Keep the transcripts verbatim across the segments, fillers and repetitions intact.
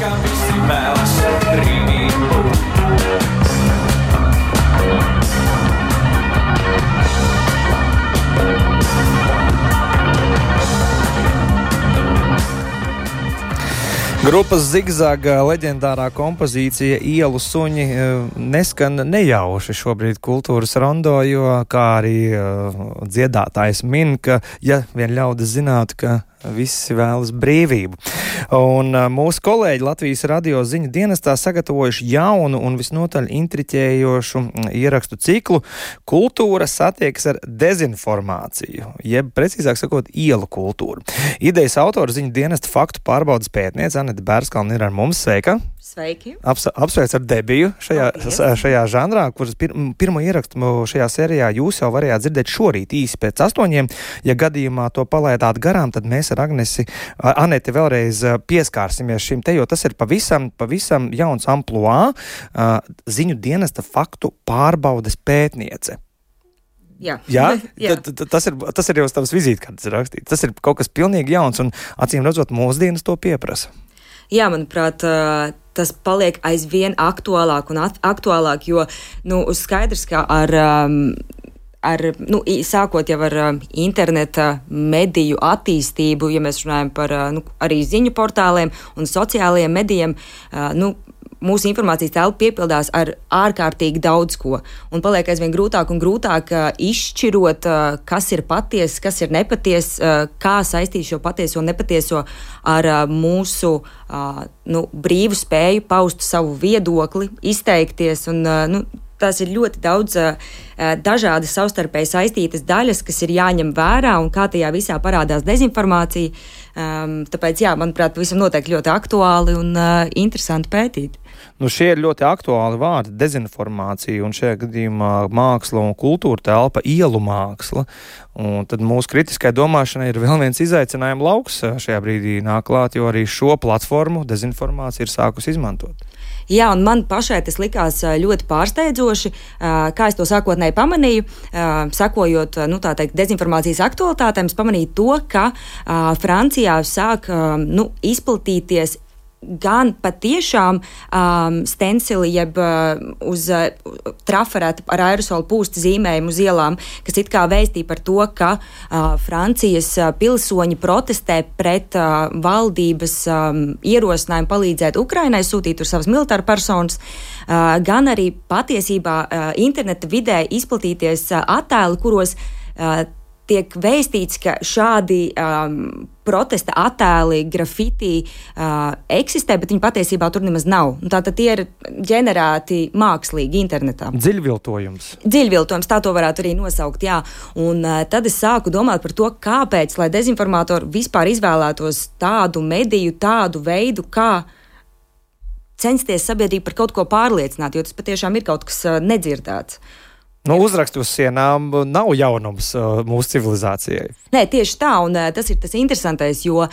ka visi vēlas brīvību. Grupas Zigzaga leģendārā kompozīcija Ielu suņi neskan nejauši šobrīd kultūras rondo, jo kā arī dziedātājs min, ka ja vien ļaudis zinātu, ka visi vēlas brīvību. Un mūsu kolēģi Latvijas radio ziņu dienestā sagatavojuši jaunu un visnotaļ intriķējošu ierakstu ciklu Kultūra satiekas ar dezinformāciju, jeb precīzāk sakot ielu kultūru. Idejas autora ziņu dienesta faktu pārbaudas pētniece Anete Bērskalne ir ar mums. Sveika! Sveiki! Aps, apsveic ar debiju šajā, šajā žanrā, kuras pir, pirmo ierakstu šajā sērijā jūs jau varējāt dzirdēt šorīt īsi pēc astoņiem. Ja gadījumā to palaidāt garām, tad mēs ar Agnesi, Aneti vēlreiz pieskārsimies šim te, jo tas ir pavisam, pavisam jauns ampluā, ziņu dienesta faktu pārbaudes pētniece. Jā. Jā? Jā. T, t, tas, ir, tas ir jau tavs vizītkartes rakstīts. Tas ir kaut kas pilnīgi jauns un acīm redzot mūsdienas to pieprasa. Jā, manuprāt, tas paliek aizvien aktuālāk un aktuālāk, jo, nu, skaidrs, ka ar, ar nu, sākot jau ar interneta mediju attīstību, ja mēs runājam par, nu, arī ziņu portāliem un sociālajiem medijiem, nu, mūsu informācijas telpa piepildās ar ārkārtīgi daudz ko, un paliek aizvien grūtāk un grūtāk uh, izšķirot, uh, kas ir patiess, kas ir nepatiess, uh, kā saistīt šo patieso un nepatieso ar uh, mūsu uh, nu, brīvu spēju paust savu viedokli, izteikties, un uh, nu, tās ir ļoti daudz uh, dažādas savstarpēji saistītas daļas, kas ir jāņem vērā, un kā tajā visā parādās dezinformācija. Um, tāpēc, jā, manuprāt, pavisam noteikti ļoti aktuāli un uh, interesanti pētīt. Nu, šie ir ļoti aktuāli vārdi - dezinformācija, un šajā gadījumā māksla un kultūra telpa, ielu māksla. Un tad mūsu kritiskai domāšanai ir vēl viens izaicinājuma lauks šajā brīdī nāk klāt, jo arī šo platformu dezinformācija ir sākusi izmantot. Jā, un man pašai tas likās ļoti pārsteidzoši, kā es to sākotnēji pamanīju, sakojot, nu, tā teikt, dezinformācijas aktualitātēm, es pamanīju to, ka Francijā sāk, nu, izplatīties gan patiešām um, stensili, jeb uh, uz uh, trafarēta ar aerosolu pūsta zīmējumu uz ielām, kas it kā vēstīja par to, ka uh, Francijas uh, pilsoņi protestē pret uh, valdības um, ierosinājumu palīdzēt Ukrainai, sūtīt tur savas militāra personas, uh, gan arī patiesībā uh, interneta vidē izplatīties uh, attēli, kuros uh, tiek vēstīts, ka šādi um, protesta attēli, grafiti uh, eksistē, bet viņi patiesībā tur nemaz nav. Tātad tie ir ģenerēti mākslīgi internetā. Dziļviltojums. Dziļviltojums, tā to varētu arī nosaukt, jā. Un uh, tad es sāku domāt par to, kāpēc, lai dezinformātori vispār izvēlētos tādu mediju, tādu veidu, kā censties sabiedrību par kaut ko pārliecināt, jo tas patiešām ir kaut kas uh, nedzirdēts. Nu, uzrakstu uz sienām nav jaunums uh, mūsu civilizācijai. Nē, tieši tā, un uh, tas ir tas interesantais, jo uh,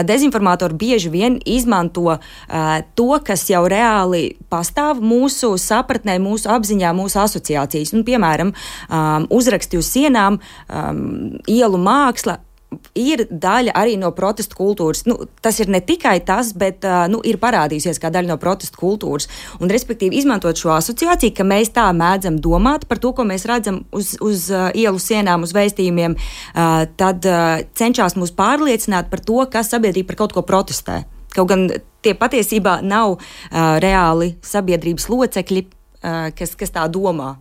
dezinformātori bieži vien izmanto uh, to, kas jau reāli pastāv mūsu sapratnē, mūsu apziņā, mūsu asociācijas. Nu, piemēram, um, uzraksti uz sienām, um, ielu māksla ir daļa arī no protestu kultūras. Nu, tas ir ne tikai tas, bet uh, nu, ir parādījusies kā daļa no protestu kultūras. Un, respektīvi, izmantot šo asociāciju, ka mēs tā mēdzam domāt par to, ko mēs redzam uz, uz uh, ielu sienām, uz vēstījumiem, uh, tad uh, cenšas mūs pārliecināt par to, kas sabiedrība par kaut ko protestē. Kaut gan tie patiesībā nav uh, reāli sabiedrības locekļi, uh, kas, kas tā domā.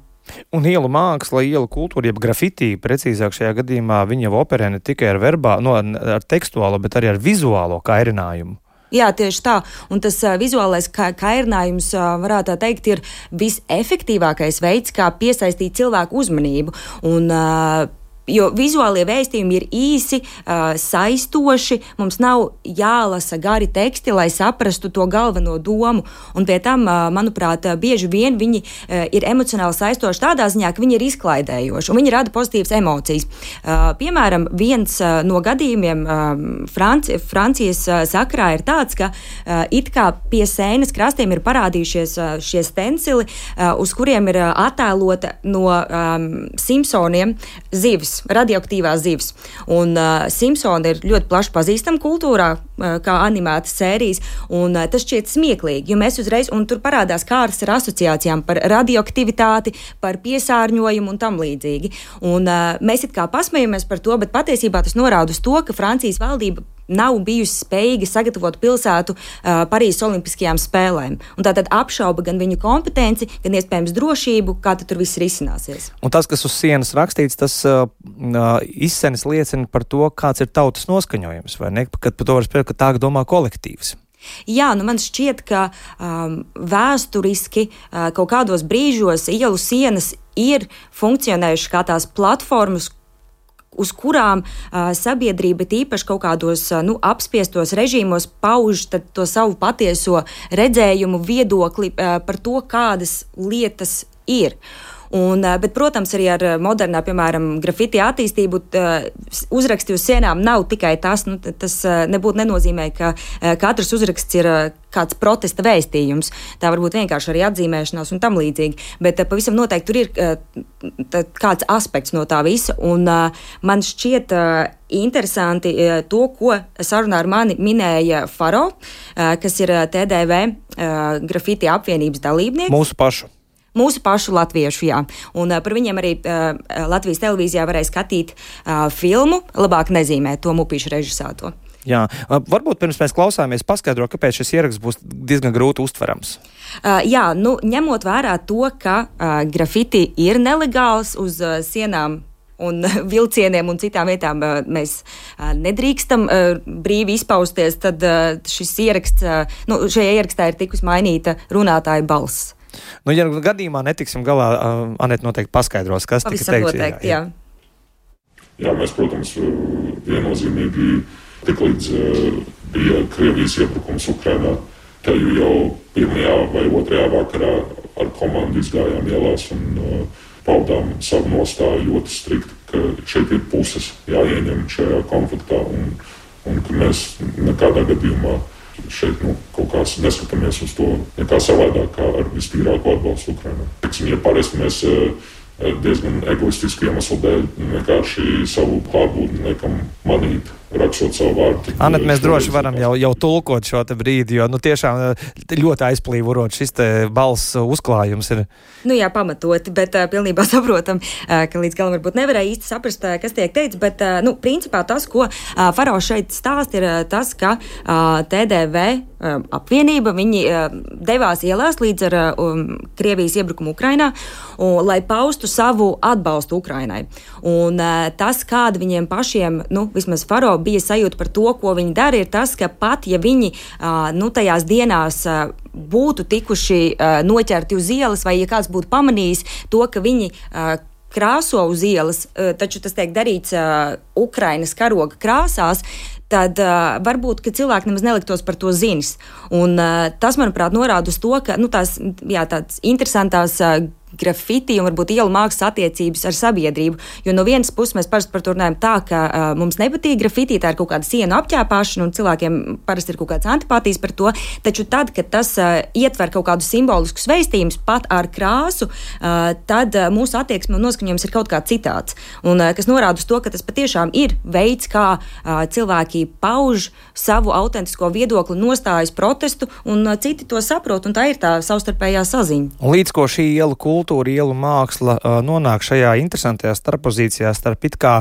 Un ielu māksla, ielu kultūra, jeb grafiti, precīzāk šajā gadījumā, viņa jau operē ne tikai ar verbā, no, ar tekstuālo, bet arī ar vizuālo kairinājumu. Jā, tieši tā. Un tas uh, vizuālais ka- kairinājums, uh, varētu tā teikt, ir visefektīvākais veids, kā piesaistīt cilvēku uzmanību. Un, uh, Jo vizuālie vēstījumi ir īsi, uh, saistoši, mums nav jālasa gari teksti, lai saprastu to galveno domu, un pie tam, uh, manuprāt, bieži vien viņi uh, ir emocionāli saistoši tādā ziņā, ka viņi ir izklaidējoši, un viņi rada pozitīvas emocijas. Uh, piemēram, viens uh, no gadījumiem uh, Franci- Francijas uh, sakrā ir tāds, ka uh, it kā pie sēnes krastiem ir parādījušies uh, šie stensili, uh, uz kuriem ir uh, attēlota no um, Simpsoniem zivis, radioaktīvās zivs. Un uh, Simpsoni ir ļoti plaši pazīstama kultūrā, kā animētas sērijas, un tas šķiet smieklīgi, jo mēs uzreiz, un tur parādās kārtas ar asociācijām par radioaktivitāti, par piesārņojumu un tam līdzīgi. Un mēs it kā pasmejamies par to, bet patiesībā tas norāda uz to, ka Francijas valdība nav bijusi spējīga sagatavot pilsētu uh, Parīzes Olimpiskajām spēlēm. Un tātad apšauba gan viņu kompetenci, gan iespējams drošību, kā tad tur viss risināsies. Un tas, kas uz sienas rakstīts, tas uh, izsenis liecina par to, kāds ir tautas noskaņojums, vai ne? Kad par to var spriest, ka tā domā kolektīvs. Jā, nu man šķiet, ka um, vēsturiski uh, kaut kādos brīžos ielu sienas ir funkcionējušas kā tās platformas, uz kurām uh, sabiedrība tīpaši kaut kādos uh, nu, apspiestos režīmos pauž to savu patieso redzējumu, viedokli uh, par to, kādas lietas ir. Un, bet, protams, arī ar modernā, piemēram, grafiti attīstību uzraksti uz sienām nav tikai tas. Nu, tas nebūtu nenozīmē, ka katrs uzraksts ir kāds protesta vēstījums. Tā var būt vienkārši arī atzīmēšanās un tam līdzīgi. Bet pavisam noteikti tur ir kāds aspekts no tā visa. Un man šķiet interesanti to, ko sarunā ar mani minēja Faro, kas ir T D V grafiti apvienības dalībnieks. Mūsu pašu. Mūsu pašu latviešu, jā. Un uh, par viņiem arī uh, Latvijas televīzijā varēja skatīt uh, filmu Labāk nezīmēt to Mupīšu režisēto. Jā, uh, varbūt pirms mēs klausāmies paskaidro, kāpēc šis ieraksts būs diezgan grūti uztverams. Uh, jā, nu, ņemot vērā to, ka uh, grafiti ir nelegāls uz uh, sienām un vilcieniem un citām vietām uh, mēs uh, nedrīkstam uh, brīvi izpausties, tad uh, šis ieraksts, uh, nu, šajā ierakstā ir tikus mainīta runātāja balss. Nu, ja gadījumā netiksim galā, uh, Anete noteikti paskaidros, kas tika teikts. Pavisam noteikti, jā. jā. Jā, mēs, protams, viennozīmīgi tik līdz uh, bija Krievijas iebrukums Ukrainā, te jau pirmajā vai otrajā vakarā ar komandu izgājām ielās un uh, paudām savu nostāju ļoti strikti, ka šeit ir puses jāieņem šajā konfliktā un, un ka mēs nekādā gadījumā šeit nu, kaut kā neskatāmies uz to nekā savādāk kā ar vistīrāko atbalstu Ukrainā. Ja parasti mēs diezgan egoistisku iemeslu dēļ vienkārši savu klātbūtni nekam manīt, rakstot savu vārdu. Anete, mēs droši varam jau, jau tulkot šo te brīdi, jo nu, tiešām ļoti aizplīvurot šis te balss uzklājums ir. Nu jā, pamatoti, bet uh, pilnībā saprotam, uh, ka līdz galam varbūt nevarēja īsti saprast, uh, kas tiek teikts, bet, uh, nu, principā tas, ko uh, Faro šeit stāst, ir uh, tas, ka uh, T D V uh, apvienība, viņi uh, devās ielās līdz ar uh, um, Krievijas iebrukumu Ukrainā, un, lai paustu savu atbalstu Ukrainai. Un uh, tas, kāda viņiem pašiem, nu, vismaz Faro bija sajūta par to, ko viņi dara, ir tas, ka pat, ja viņi uh, nu, tajās dienās uh, būtu tikuši uh, noķerti uz ielas, vai ja kāds būtu pamanījis to, ka viņi uh, krāso uz ielas, uh, taču tas tiek darīts uh, Ukrainas karoga krāsās, tad uh, varbūt, ka cilvēki nemaz neliktos par to zinis. Un uh, tas, manuprāt, norāda uz to, ka nu, tās, jā, tāds interesantās uh, grafiti un varbūt ielu mākslas attiecības ar sabiedrību, jo no vienas puses mēs parasti par to runājam tā, ka uh, mums nepatīk grafiti, tā ir kaut kāda sienu apķēpāšana un cilvēkiem parasti ir kaut kāds antipātijas par to, taču tad, kad tas uh, ietver kaut kādus simboliskus vēstījumus pat ar krāsu, uh, tad uh, mūsu attieksme un noskaņojums ir kaut kā citāds. Un uh, kas norāda uz to, ka tas patiešām ir veids, kā uh, cilvēki pauž savu autentisko viedokli, nostājas protestu un uh, citi to saprot, un tā ir tā savstarpējā saziņa. Un līdz ko šī ielu kultūra, ielu māksla uh, nonāk šajā interesantajā starppozīcijā starp it kā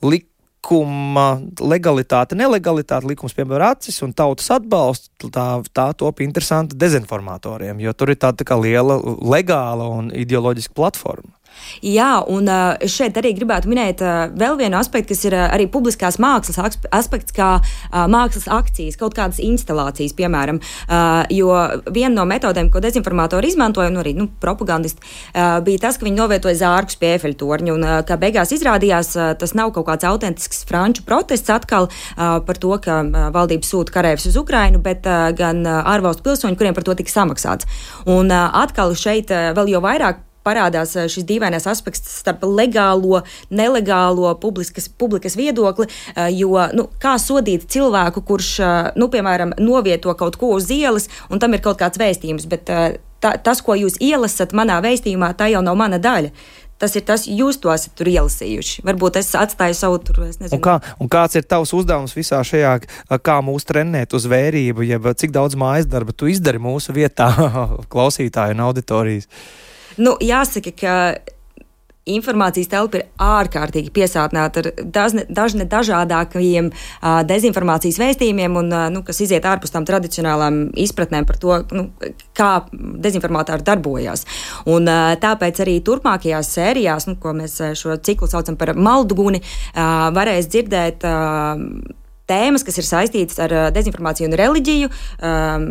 likuma legalitāte, nelegalitāte, likums piemēram acis un tautas atbalsts, tā, tā top interesanti dezinformatoriem, jo tur ir tāda tā kā liela legāla un ideoloģiska platforma. Jā, un uh, šeit arī gribētu minēt uh, vēl vienu aspektu, kas ir uh, arī publiskās mākslas aspekts, kā uh, mākslas akcijas, kaut kādas instalācijas, piemēram. Uh, jo viena no metodēm, ko dezinformatori izmantoja, un arī nu, propagandisti, uh, bija tas, ka viņi novietoja zārkus pie Eifelļa torņa, un uh, kā beigās izrādījās, uh, tas nav kaut kāds autentisks franču protests atkal uh, par to, ka uh, valdība sūta kareivus uz Ukrainu, bet uh, gan uh, ārvalstu pilsoņi, kuriem par to tika samaksāts. Un uh, atkal šeit uh, vēl jau vairāk parādās šis dīvainais aspekts starp legālo, nelegālo publiskas, publikas viedokli, jo, nu, kā sodīt cilvēku, kurš, nu, piemēram, novieto kaut ko uz ielas, un tam ir kaut kāds vēstījums, bet tā, tas, ko jūs ielasat manā vēstījumā, tā jau nav mana daļa. Tas ir tas, jūs to esat tur ielasījuši. Varbūt es atstāju savu tur, es nezinu. Un, kā, un kāds ir tavs uzdevums visā šajā, kā mūs trenēt uz vērību, jeb cik daudz mājas darba tu izdari mūsu vietā klausītāju un auditorijas? Nu, jāsaka, ka informācijas telpa ir ārkārtīgi piesātināta ar dažne, dažne dažādākajiem uh, dezinformācijas vēstījumiem, un, uh, nu, kas iziet ārpus tām tradicionālām izpratnēm par to, nu, kā dezinformātāri darbojās. Un, uh, tāpēc arī turpmākajās sērijās, nu, ko mēs šo ciklu saucam par Malduguni, uh, varēs dzirdēt uh, tēmas, kas ir saistītas ar uh, dezinformāciju un reliģiju, um,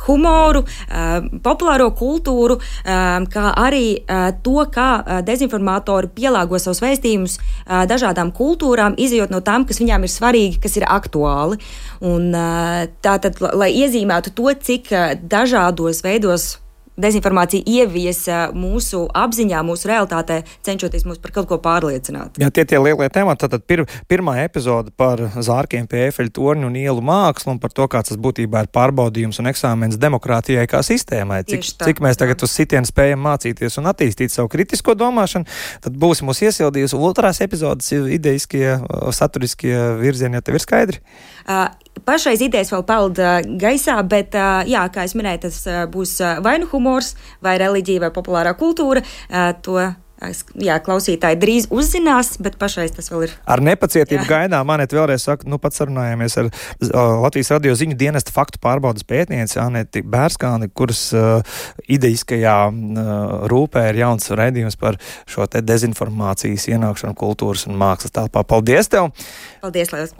humoru, uh, populāro kultūru, uh, kā arī uh, to, kā uh, dezinformātori pielāgo savus vēstījumus uh, dažādām kultūrām, izejot no tām, kas viņām ir svarīgi, kas ir aktuāli. Un uh, tātad, lai iezīmētu to, cik uh, dažādos veidos dezinformācija ieviesa mūsu apziņā, mūsu realitātē, cenšoties mūs par kaut ko pārliecināt. Jā, tie tie lielie temati. Tad pir, pirmā epizode par zārkiem pie Eifeļa torņa un ielu mākslu un par to, kāds tas būtībā ir pārbaudījums un eksāmens demokrātijai kā sistēmai. Cik, tā, cik mēs tagad jā. uz sitienu spējam mācīties un attīstīt savu kritisko domāšanu, tad būsim mūs iesildījusi. Otrās epizodes ideiskie, saturiskie virzieni, ja tev ir skaidri? Uh, Pašreiz idejas vēl peld uh, gaisā, bet, uh, jā, kā es minēju, tas uh, būs uh, vai nu humors, vai reliģija, vai populārā kultūra. Uh, to, uh, jā, klausītāji drīz uzzinās, bet pašreiz tas vēl ir. Ar nepacietību gaidām. Anete vēlreiz saka, nu pat sarunājāmies ar uh, Latvijas radio ziņu dienesta faktu pārbaudas pētnieci Aneti Bērskāni, kuras uh, ideiskajā uh, rūpē ir jauns raidījums par šo te dezinformācijas ienākšanu kultūras un mākslas telpā. Paldies tev! Paldies, Lielas!